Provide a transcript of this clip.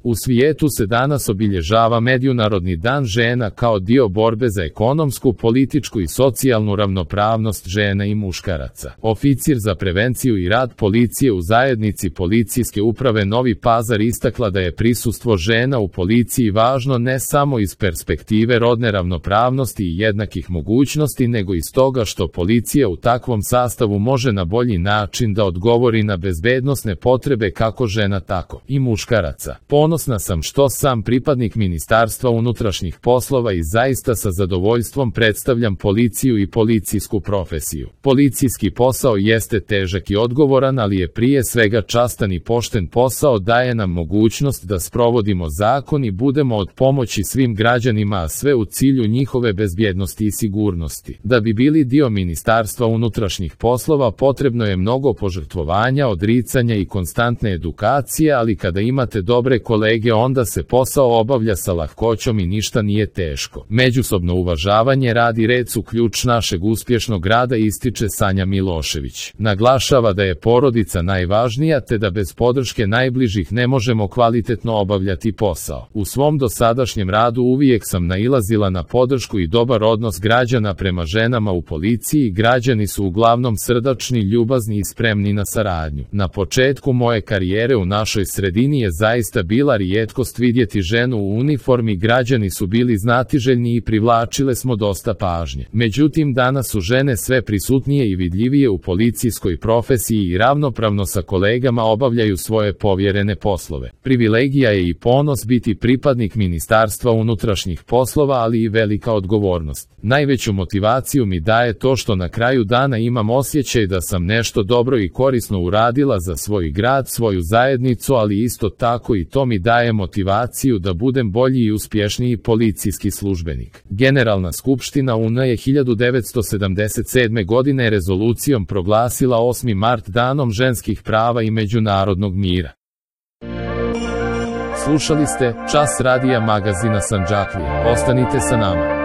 U svijetu se danas obilježava Međunarodni dan žena kao dio borbe za ekonomsku, političku i socijalnu ravnopravnost žena i muškaraca. Oficir za prevenciju i rad policije u zajednici Policijske uprave Novi Pazar istakla da je prisustvo žena u policiji važno ne samo iz perspektive rodne ravnopravnosti i jednakih mogućnosti, nego i stoga što policija u takvom sastavu može na bolji način da odgovori na bezbednosne potrebe kako žena tako i muškaraca. Ponosna sam što sam pripadnik Ministarstva unutrašnjih poslova i zaista sa zadovoljstvom predstavljam policiju i policijsku profesiju. Policijski posao jeste težak i odgovoran, ali je prije svega častan i pošten posao, daje nam mogućnost da sprovodimo zakon i budemo od pomoći svim građanima, a sve u cilju njihove bezbjednosti i sigurnosti. Da bi bili dio Ministarstva unutrašnjih poslova potrebno je mnogo požrtvovanja, odricanja i konstantne edukacije, ali kada imate dobre kolege onda se posao obavlja sa lahkoćom i ništa nije teško. Međusobno uvažavanje, rad i red su ključ našeg uspješnog rada, ističe Sanja Milošević. Naglašava da je porodica najvažnija te da bez podrške najbližih ne možemo kvalitetno obavljati posao. U svom dosadašnjem radu uvijek sam nailazila na podršku i dobar odnos građana prema ženama u policiji. Građani su uglavnom srdačni, ljubazni i spremni na saradnju. Na početku moje karijere u našoj sredini je zaista bila rijetkost vidjeti ženu u uniformi, građani su bili znatiželjni i privlačile smo dosta pažnje. Međutim, danas su žene sve prisutnije i vidljivije u policijskoj profesiji i ravnopravno sa kolegama obavljaju svoje povjerene poslove. Privilegija je i ponos biti pripadnik Ministarstva unutrašnjih poslova, ali i velika odgovornost. Najveću motivaciju mi daje to što na kraju dana imam osjećaj da sam nešto dobro i korisno uradila za svoj grad, svoju zajednicu, ali isto tako i to mi daje motivaciju da budem bolji i uspješniji policijski službenik. Generalna skupština UN je 1977. godine rezolucijom proglasila 8. mart danom ženskih prava i međunarodnog mira. Slušali ste Čas radija magazina Sandžaklija. Ostanite sa nama.